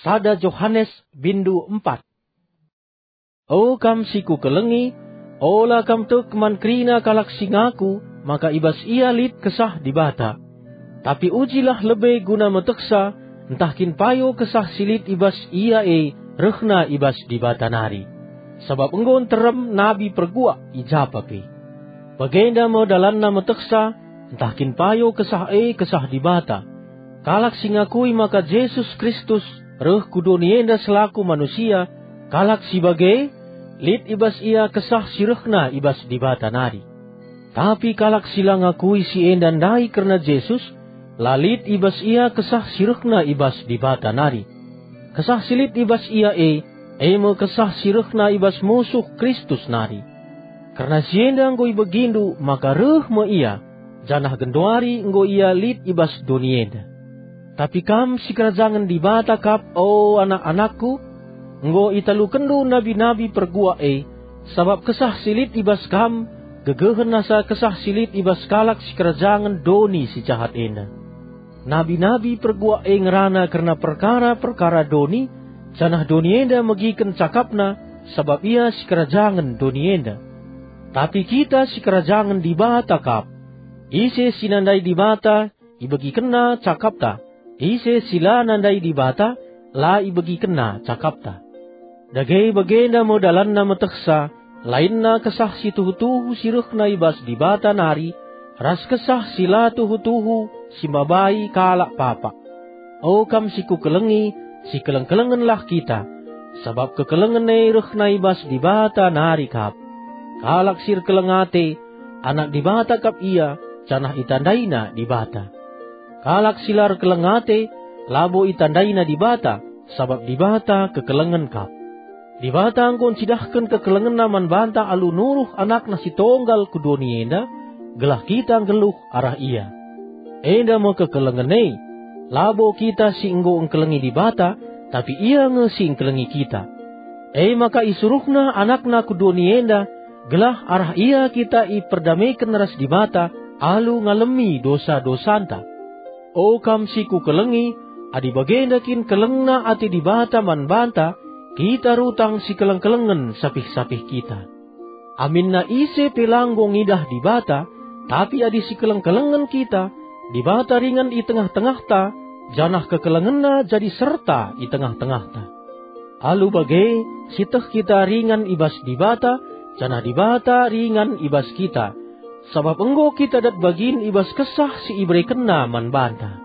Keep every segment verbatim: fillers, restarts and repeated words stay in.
Sada Johanes bindu empat. O kam si kukelengi, ola kam tek man kerina kalak si ngaku maka i bas ia lit Kesah Dibata. Tapi ujilah lebe guna metehsa, ntah kin payo Kesah si lit i bas ia e rehna i bas Dibata nari. Sabap enggo nterem nabi perguak i japa pe. Bagenda me dalanna metehsa, ntah kin payo Kesah e Kesah Dibata. Kalak si ngakui maka Jesus Kristus reh ku doni enda selaku manusia, kalak si bage, lit i bas ia Kesah si rehna i bas Dibata nari. Tapi kalak si la ngakui si enda ndai kerna Jesus, la lit i bas ia Kesah si rehna i bas Dibata nari. Kesah si lit i bas ia e, e me Kesah si rehna i bas musuh Kristus nari. Kerna si enda enggo ibegindu maka reh me ia, janah genduari enggo ia lit i bas doni enda. Tapi kam sikerajangen Dibata kap, o anak-anakku, enggo italukenndu nabi-nabi perguak e, sabap Kesah si lit i bas kam gegehen asa Kesah si lit i bas kalak sikerajangen doni si jahat enda. Nabi-nabi perguak e ngerana kerna perkara-perkara doni, janah doni enda megiken cakapna, sabap ia sikerajangen doni enda. Tapi kita sikerajangen Dibata kap. Ise si nandai Dibata, ibegikenna cakapta. Ise si la nandai Dibata, la ibegikenna cakapta. Dage bagenda me dalanna metehsa, lainna Kesah si tuhu-tuhu si rehna i bas Dibata nari, ras Kesah si la tuhu-tuhu si mabai kalak papak. O kam si kukelengi, sikeleng-kelengenlah kita, sabap kekelengen e rehna i bas Dibata nari kap. Kalak si erkeleng ate, anak Dibata kap ia, janah itandaina Dibata. Kalak si la erkeleng ate, labo itandaina Dibata, sabap Dibata kekelengen kap. Dibata enggo ncidahken kekelengenNa man banta alu nuruh AnakNa si tonggal ku doni enda, gelah kita nggeluh arah Ia. Enda me kekelengen e, labo kita si enggo engkelengi Dibata, tapi Ia nge si engkelengi kita. E maka isuruhNa AnakNa ku doni enda, gelah arah Ia kita iperdameken ras Dibata alu ngalemi dosa-dosanta. O kam si kukelengi, adi bagenda kin kelengna ate Dibata man banta, kita rutang sikeleng-kelengen sapih-sapih kita. Aminna ise pe la enggo ngidah Dibata, tapi adi sikeleng-kelengen kita, Dibata ringan i tengah-tengahta, janah kekelengenNa jadi serta i tengah-tengahta. Alu bage, sieteh kita ringan i bas Dibata, janah Dibata ringan i bas kita, sabap enggo kita dat bagin i bas Kesah si iberekenNa man banta.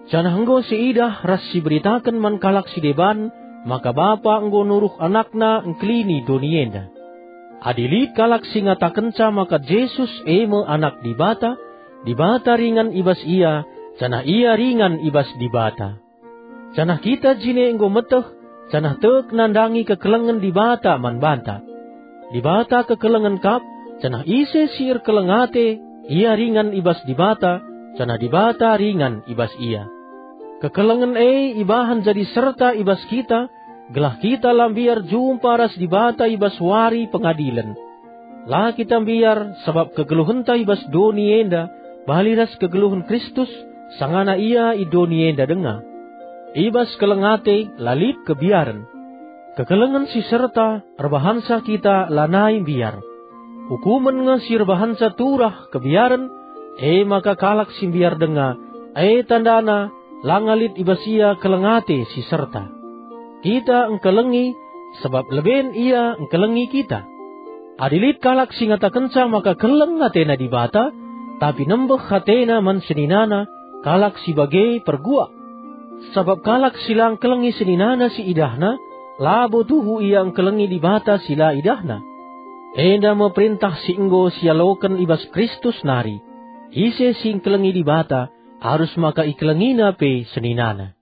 Janah enggo siidah ras siberitaken man kalak si deban maka Bapa enggo nuruh AnakNa engkelini doni enda. Adi lit kalak si ngatakenca maka Jesus e me Anak Dibata, Dibata ringan i bas ia, janah ia ringan i bas Dibata. Janah kita jine enggo meteh, janah tek nandangi kekelengen Dibata man banta. Dibata kekelengen kap, janah ise si erkeleng ate, ia ringan i bas Dibata, janah Dibata ringan i bas ia. Kekelengen e ibahan jadi serta i bas kita, gelah kita la mbiar jumpa ras Dibata i bas wari pengadilen. La kita mbiar, sabap kegeluhenta i bas doni enda bali ras kegeluhen Kristus, sangana Ia i doni enda denga. I bas keleng ate la lit kebiaren. Kekelengen si serta erbahansa kita lanai mbiar. Ukumen nge si erbahansa turah kebiaren, e maka kalak si mbiar denga, e tandana la nga lit i bas ia keleng ate si serta. Kita engkelengi, sabap leben Ia engkelengi kita. Adi lit kalak si ngatakenca maka keleng atena Dibata, tapi nembeh atena man seninana, kalak si bage perguak. Sabap kalak si la engkelengi seninana si idahna, labo tuhu ia engkelengi Dibata si la idahna. Enda me perentah si enggo sialoken i bas Kristus nari, ise si engkelengi Dibata, arus maka ikelengina pe seninana.